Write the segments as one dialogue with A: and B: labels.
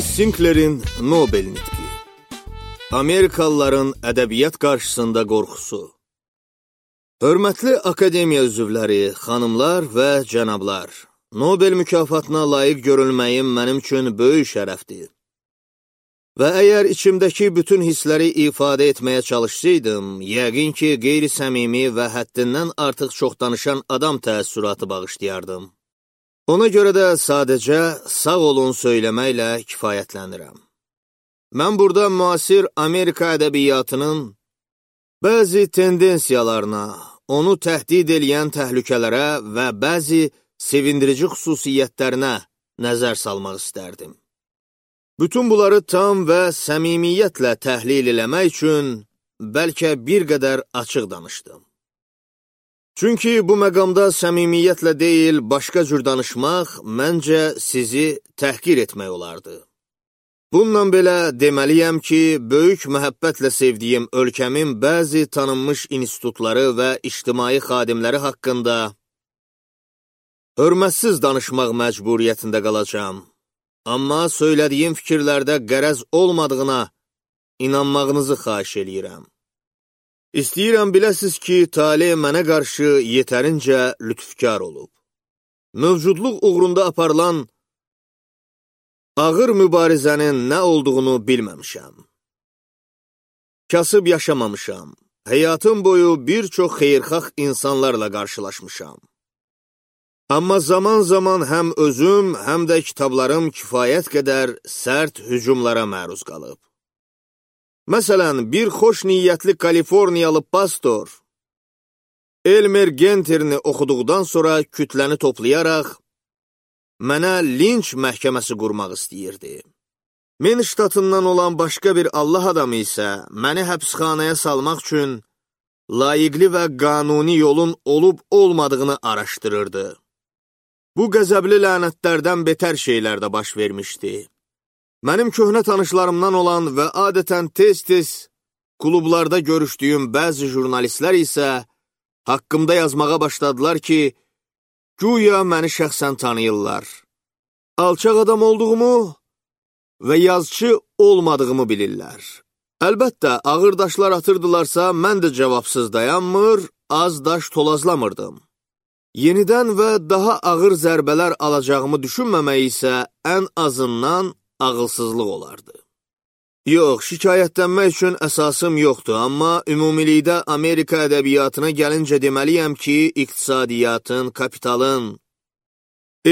A: Lewis Sinclair'in Nobel nitqi. Amerikalıların ədəbiyyat qarşısında qorxusu. Hörmətli akademiya üzvləri, xanımlar və cənablar, Nobel mükafatına layiq görülməyim mənim üçün böyük şərəfdir. Və əgər içimdəki bütün hissləri ifadə etməyə çalışsaydım, yəqin ki, qeyri-səmimi və həddindən artıq çox danışan adam təəssüratı bağışlayardım. Ona görə də sadəcə sağ olun söyləməklə kifayətlənirəm. Mən burada müasir Amerika ədəbiyyatının bəzi tendensiyalarına, onu təhdid eləyən təhlükələrə və bəzi sevindirici xüsusiyyətlərinə nəzər salmaq istərdim. Bütün bunları tam və səmimiyyətlə təhlil eləmək üçün bəlkə bir qədər açıq danışdım. Çünki bu məqamda səmimiyyətlə deyil, başqa cür danışmaq məncə sizi təhqir etmək olardı. Bununla belə deməliyəm ki, böyük məhəbbətlə sevdiyim ölkəmin bəzi tanınmış institutları və ictimai xadimləri haqqında hörmətsiz danışmaq məcburiyyətində qalacağım. Amma söylədiyim fikirlərdə qərəz olmadığına inanmağınızı xahiş eləyirəm. İstəyirəm biləsiz ki, tale mənə qarşı yetərincə lütfkar olub. Mövcudluq uğrunda aparılan ağır mübarizənin nə olduğunu bilməmişəm. Kasıb yaşamamışam. Həyatım boyu bir çox xeyirxah insanlarla qarşılaşmışam. Amma zaman-zaman həm özüm, həm də kitablarım kifayət qədər sərt hücumlara məruz qalıb. Məsələn, bir xoş niyyətli Kaliforniyalı pastor Elmer Genterini oxuduqdan sonra kütləni toplayaraq mənə linç məhkəməsi qurmaq istəyirdi. Min ştatından olan başqa bir Allah adamı isə məni həbsxanaya salmaq üçün layiqli və qanuni yolun olub-olmadığını araşdırırdı. Bu qəzəbli lənətlərdən betər şeylər də baş vermişdi. Mənim köhnə tanışlarımdan olan və adətən tez-tez klublarda görüşdüyüm bəzi jurnalistlər isə haqqımda yazmağa başladılar ki, güya məni şəxsən tanıyırlar. Alçaq adam olduğumu və yazıcı olmadığımı bilirlər. Əlbəttə, ağır daşlar atırdılarsa, mən də cavabsız dayanmır, az daş tolazlamırdım. Yenidən və daha ağır zərbələr alacağımı düşünməmək isə ən azından ağılsızlıq olardı. Yox, şikayətlənmək üçün əsasım yoxdur, amma ümumilikdə Amerika ədəbiyyatına gəlincə deməliyəm ki, iqtisadiyyatın, kapitalın,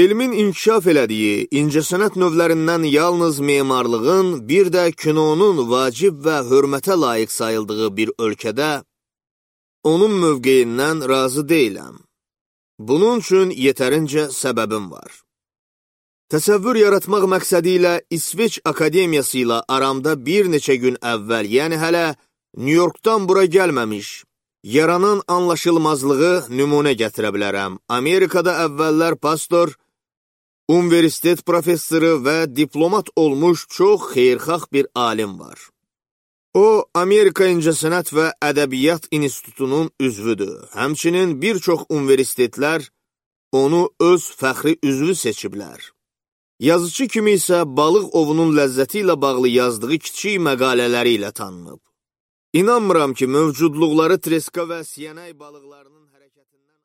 A: elmin inkişaf elədiyi, incəsənət növlərindən yalnız memarlığın, bir də kinonun vacib və hörmətə layiq sayıldığı bir ölkədə onun mövqeyindən razı deyiləm. Bunun üçün yetərincə səbəbim var. Təsəvvür yaratmaq məqsədi ilə İsveç Akademiyası ilə aramda bir neçə gün əvvəl, yəni hələ New Yorkdan bura gəlməmiş, yaranan anlaşılmazlığı nümunə gətirə bilərəm. Amerikada əvvəllər pastor, universitet professoru və diplomat olmuş çox xeyirxah bir alim var. O, Amerika İncəsənət və Ədəbiyyat İnstitutunun üzvüdür. Həmçinin bir çox universitetlər onu öz fəxri üzvü seçiblər. Yazıcı kimi isə balıq ovunun ləzzəti ilə bağlı yazdığı kiçik məqalələri ilə tanınıb. İnanmıram ki, mövcudluqları treska və siyanay balıqlarının hərəkətindən